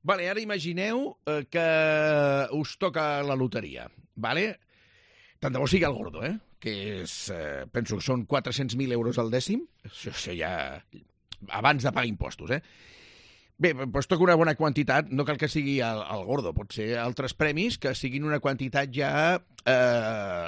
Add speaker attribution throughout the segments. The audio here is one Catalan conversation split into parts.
Speaker 1: Vale, ara imagineu que us toca la loteria, vale? Tant de bo sigui el gordo, que és, penso que són 400.000 euros al dècim, això ja abans de pagar impostos, Bé, doncs toca una bona quantitat, no cal que sigui el gordo, pot ser altres premis que siguin una quantitat ja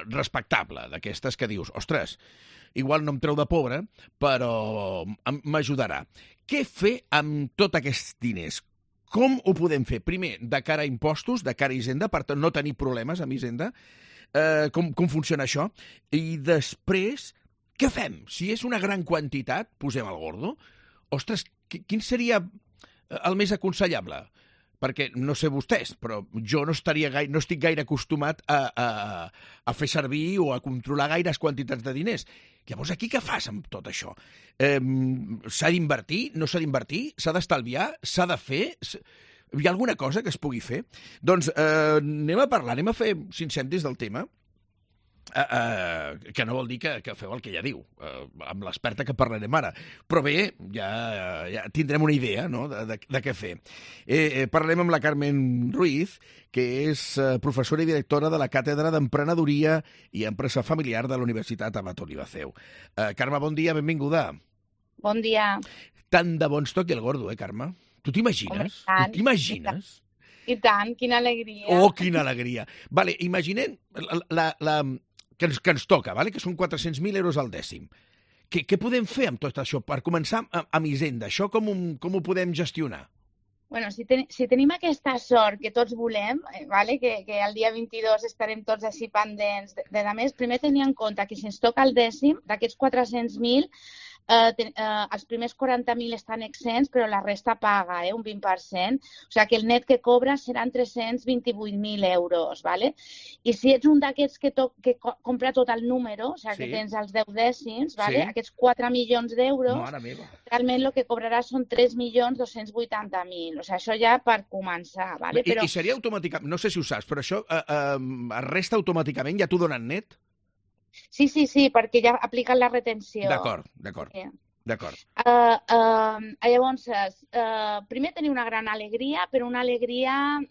Speaker 1: respectable, d'aquestes que dius, ostres, igual no em treu de pobre, però m'ajudarà. Què fer amb tots aquests diners? Com ho podem fer? Primer, de cara a impostos, de cara a Hisenda, per no tenir problemes amb Hisenda, com funciona això? I després, què fem? Si és una gran quantitat, posem el gordo. Ostres, quin seria el més aconsellable? Perquè, no sé vostès, però jo no estic gaire acostumat a fer servir o a controlar gaires quantitats de diners. Llavors, aquí què fas amb tot això? S'ha d'invertir? No s'ha d'invertir? S'ha d'estalviar? S'ha de fer? Hi ha alguna cosa que es pugui fer? Doncs anem a parlar, anem a fer 5 cèntims del tema, que no vol dir que feu el que ella diu, amb l'experta que parlarem ara. Però bé, ja tindrem una idea, no?, de què fer. Parlarem amb la Carmen Ruiz, que és professora i directora de la Càtedra d'Emprenedoria i Empresa Familiar de la Universitat Abat Olivaceu. Carme, bon dia, benvinguda.
Speaker 2: Bon dia.
Speaker 1: Tant de bo ens toqui el gordo, Carme? Tu t'imagines? Tu t'imagines?
Speaker 2: I tant, quina alegria.
Speaker 1: Oh, quina alegria. Vale, imaginem que ens toca, vale? Que són 400.000 euros al dècim. Què podem fer amb tot això? Per començar amb Hisenda, això com ho podem gestionar?
Speaker 2: Bueno, si tenim aquesta sort que tots volem, vale? Que el dia 22 estarem tots així pendents, a més, primer tenir en compte que si ens toca el dècim, d'aquests 400.000, els primers 40.000 estan exempts, però la resta paga, un 20%. O sigui que el net que cobra seran 328.000 euros. ¿Vale? I si ets un d'aquests que compra tot el número, o sigui que tens els 10 dècims, ¿vale? Aquests 4 milions d'euros, realment el que cobraràs són 3.280.000. O sigui, això ja per començar. ¿Vale?
Speaker 1: I seria automàticament, no sé si ho saps, però això es resta automàticament, ja t'ho donen net?
Speaker 2: Sí, perquè ja apliquen la retenció.
Speaker 1: D'acord.
Speaker 2: Llavors, primer tenir una gran alegria, però una alegria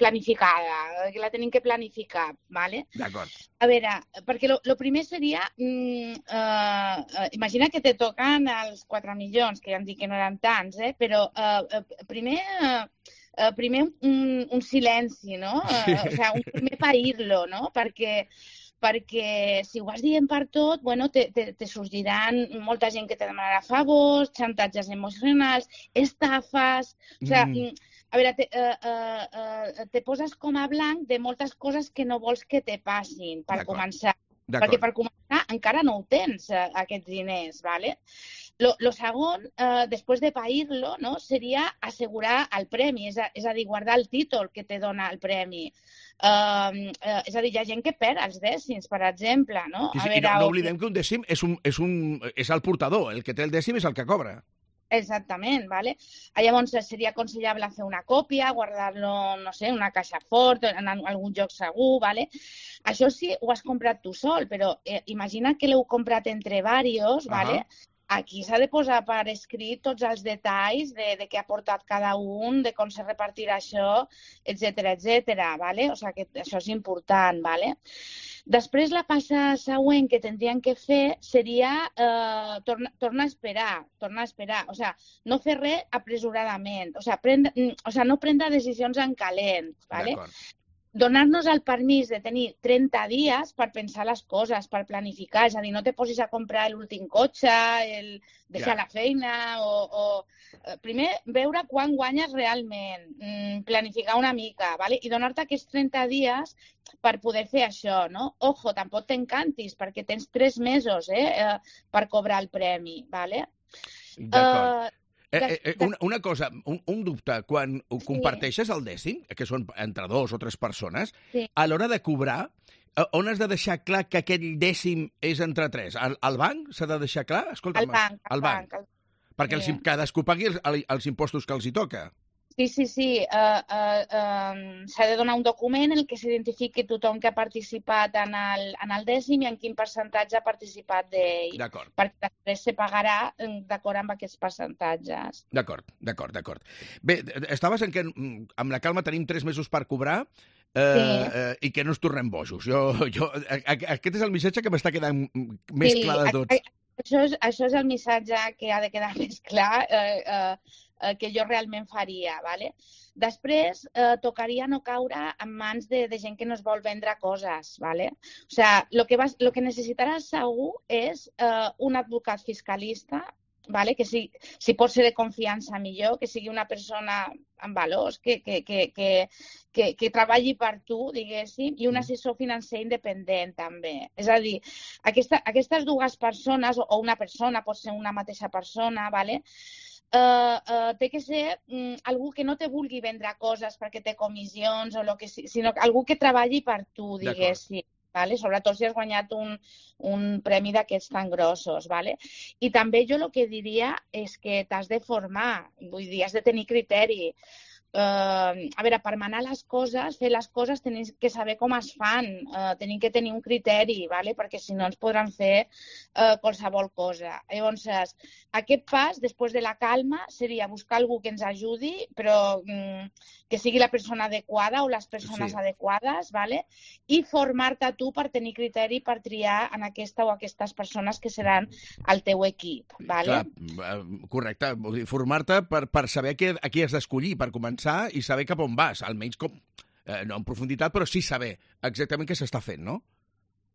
Speaker 2: planificada, que la tenim que planificar, ¿vale?
Speaker 1: D'acord.
Speaker 2: A veure, perquè el primer seria, imagina que te toquen els 4 milions, que ja em dic que no eren tants, però primer un silenci, no? O sigui, un primer pair-lo, no? Perquè si ho vas dient per tot, bueno, te sorgiran molta gent que te demanarà favors, xantatges emocionals, estafes... O sigui, a veure, te poses com a blanc de moltes coses que no vols que te passin, per començar. Perquè per començar encara no ho tens, aquests diners, ¿vale? Lo segon, després de pair-lo, no, seria assegurar el premi, és a dir, guardar el títol que te dona el premi. És a dir, hi ha gent que perd els dècims, per exemple, no?
Speaker 1: I no oblidem que un dècim és el portador, el que té el dècim és el que cobra.
Speaker 2: Exactament, ¿vale? Llavors seria aconsellable fer una còpia, guardar-lo, no sé, en una caixa fort, en algun lloc segur, ¿vale? Això sí, ho has comprat tu sol, però imagina que l'heu comprat entre diversos, ¿vale? Aquí s'ha de posar per escrit tots els detalls de què ha portat cada un, de com se repartirà això, etcètera, ¿vale? O sigui que això és important, ¿vale? Després, la passa següent que tindrien que fer seria tornar a esperar. O sigui, no fer res apresuradament. O sigui, no prendre decisions en calent, ¿vale? Donar-nos el permís de tenir 30 dies per pensar les coses, per planificar. És a dir, no te posis a comprar l'últim cotxe, deixar la feina, o primer veure quan guanyes realment, planificar una mica, ¿vale? I donar-te aquests 30 dies per poder fer això, no? Ojo, tampoc t'encantis, perquè tens 3 mesos per cobrar el premi, ¿vale?
Speaker 1: D'acord. Una cosa, un dubte, quan ho comparteixes el dècim, que són entre 2 o 3 persones, a l'hora de cobrar, on has de deixar clar que aquell dècim és entre 3? Al banc s'ha de deixar clar?
Speaker 2: Al banc.
Speaker 1: Perquè cadascú pagui els impostos que els hi toca.
Speaker 2: Sí. S'ha de donar un document en què s'identifiqui tothom que ha participat en el dècim i en quin percentatge ha participat d'ell.
Speaker 1: D'acord.
Speaker 2: Perquè després se pagarà d'acord amb aquests percentatges.
Speaker 1: D'acord. Bé, estaves en què amb la Calma tenim 3 mesos per cobrar i que no ens tornem bojos. Aquest és el missatge que m'està quedant més clar de tots.
Speaker 2: Això és el missatge que ha de quedar més clar que jo realment faria, ¿vale? Després, tocaria no caure en mans de gent que no es vol vendre coses, ¿vale? O sea, lo que necessitaràs segur és un advocat fiscalista, ¿vale? Que si pot ser de confiança millor, que sigui una persona amb valors, que treballi per tu, diguéssim, i un assessor financer independent, també. És a dir, aquestes dues persones, o una persona, pot ser una mateixa persona, ¿vale? Té que ser algú que no te vulgui vendre coses perquè té comissions o el que sigui, sinó algú que treballi per tu, diguéssim. Vale? Sobretot si has guanyat un premi d'aquests tan grossos. Vale? I també jo el que diria és que t'has de formar, vull dir, has de tenir criteri. A veure, per manar les coses, fer les coses, tenim que saber com es fan, tenim que tenir un criteri, ¿vale? Perquè si no ens podran fer qualsevol cosa. Llavors, aquest pas, després de la calma, seria buscar algú que ens ajudi, però que sigui la persona adequada o les persones adequades, ¿vale? I formar-te tu per tenir criteri per triar en aquesta o aquestes persones que seran el teu equip, ¿vale?
Speaker 1: Clar, correcte. Vull dir, formar-te per saber a qui has d'escollir, per començar i saber cap on vas, almenys com, no en profunditat, però sí saber exactament què s'està fent, no?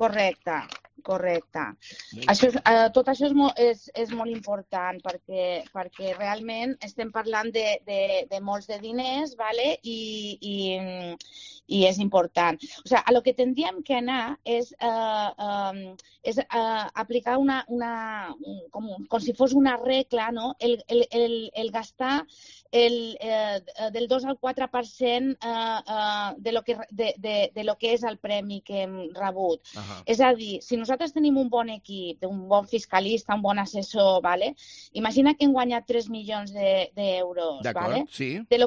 Speaker 2: Correcte. Tot això és molt important perquè realment estem parlant de molts de diners, ¿vale? I és important. O sigui, a lo que tendríem que anar és aplicar com si fos una regla, no? El gastar del 2 al 4% de lo que és el premi que hem rebut. És a dir, si nosaltres tenim un bon equip, un bon fiscalista, un bon assessor, ¿vale? Imagina que hem guanyat 3 milions d'euros.
Speaker 1: D'acord,
Speaker 2: ¿vale?
Speaker 1: sí.
Speaker 2: De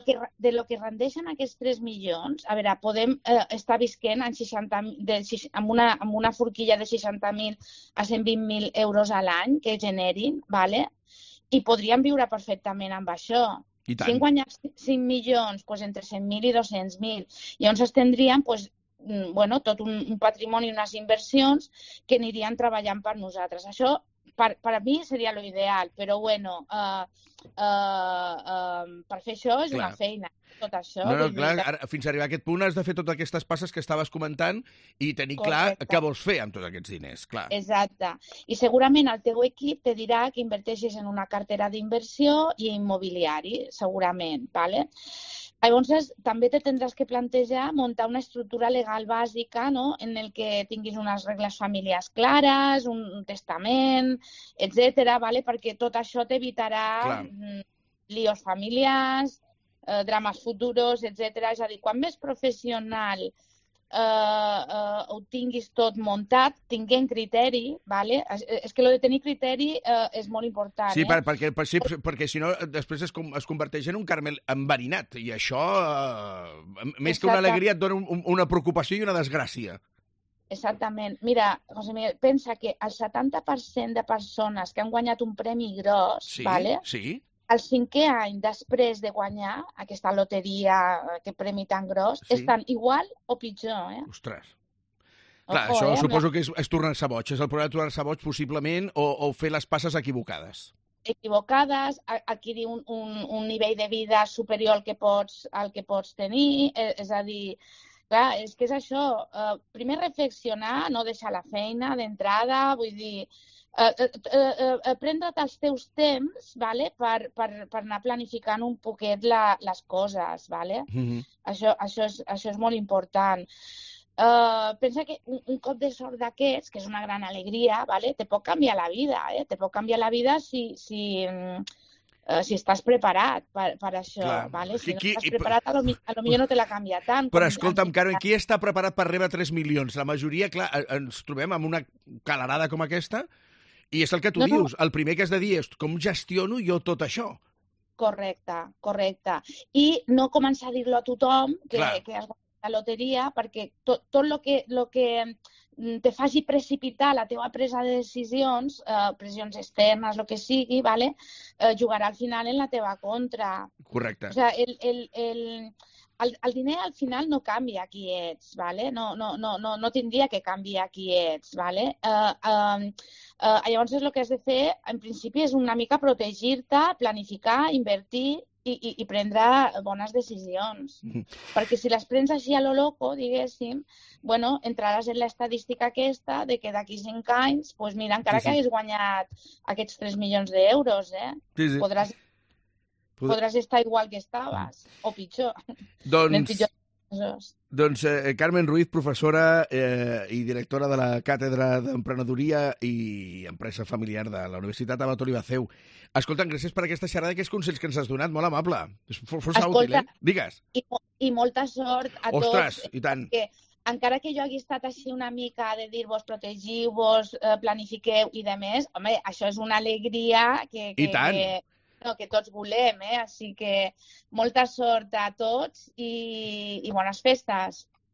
Speaker 2: lo que rendeixen aquests 3 milions, a veure, podem estar visquent amb una forquilla de 60.000 a 120.000 euros a l'any que generin, ¿vale? I podríem viure perfectament amb això. Si hem guanyat 5 milions, doncs entre 100.000 i 200.000. Llavors tindríem tot un patrimoni, unes inversions que anirien treballant per nosaltres. Això, per a mi, seria l'ideal, però per fer això és una feina. Tot això.
Speaker 1: Fins a arribar a aquest punt has de fer totes aquestes passes que estaves comentant i tenir clar què vols fer amb tots aquests diners, clar.
Speaker 2: Exacte. I segurament el teu equip te dirà que inverteixis en una cartera d'inversió i immobiliari, segurament, ¿vale? Llavors, també te tindràs que plantejar muntar una estructura legal bàsica, no? En el que tinguis unes regles familiars clares, un testament, etc., ¿vale? Perquè tot això t'evitarà líos familiars, drames futuros, etc. És a dir, quan més professional ho tinguis tot muntat, tinguent criteri, ¿vale? És que lo de tenir criteri és molt important.
Speaker 1: Sí, perquè si no després es converteix en un caramel enverinat i això, més que una alegria, et dona una preocupació i una desgràcia.
Speaker 2: Exactament. Mira, José Miguel, pensa que el 70% de persones que han guanyat un premi gros, ¿vale?
Speaker 1: Sí.
Speaker 2: El 5è any després de guanyar aquesta loteria, aquest premi tan gros, estan igual o pitjor,
Speaker 1: Ostres. Clar, això suposo que és tornar-se boig. És el problema de tornar-se boig, possiblement, o fer les passes equivocades.
Speaker 2: Adquirir un nivell de vida superior al que pots tenir, és a dir, clar, és que és això. Primer reflexionar, no deixar la feina d'entrada, vull dir, prendre't els teus temps, ¿vale? per anar planificant un poquet les coses. ¿Vale? Això és molt important. Pensa que un cop de sort d'aquests, que és una gran alegria, ¿vale? Te pot canviar la vida. Te pot canviar la vida si estàs preparat per això.
Speaker 1: Clar.
Speaker 2: ¿Vale? Si no estàs preparat, a lo millor no te la canvia tant.
Speaker 1: Però escolta'm, Carmen, qui està preparat per rebre 3 milions? La majoria, clar, ens trobem amb una calarada com aquesta. I és el que tu dius, el primer que has de dir és com gestiono jo tot això?
Speaker 2: Correcte, correcte. I no començar a dir-lo a tothom que
Speaker 1: Clar.
Speaker 2: has guanyat la loteria, perquè tot el que te faci precipitar la teva presa de decisions, pressions externes, el que sigui, ¿vale? Jugarà al final en la teva contra.
Speaker 1: Correcte.
Speaker 2: O sigui, el diner al final no canvia qui ets, ¿vale? No tindria que canviar qui ets, ¿vale? Llavors el que has de fer, en principi, és una mica protegir-te, planificar, invertir i prendre bones decisions. Perquè si les prens així a lo loco, diguéssim, bueno, entraràs en l'estadística aquesta de que d'aquí 5 anys, pues mira, encara que hagués guanyat aquests 3 milions d'euros, podràs estar igual que estaves, o pitjor.
Speaker 1: Doncs Carmen Ruiz, professora i directora de la Càtedra d'Emprenedoria i Empresa Familiar de la Universitat Abat Olivaceu. Escolta'm, gràcies per aquesta xerrada i aquests consells que ens has donat, molt amable. És força útil, eh? Digues.
Speaker 2: I molta sort a tots.
Speaker 1: Ostres, i tant.
Speaker 2: Encara que jo hagi estat així una mica de dir-vos protegiu-vos, planifiqueu i de més, home, això és una alegria que tots volem, Així que molta sort a tots i bones festes.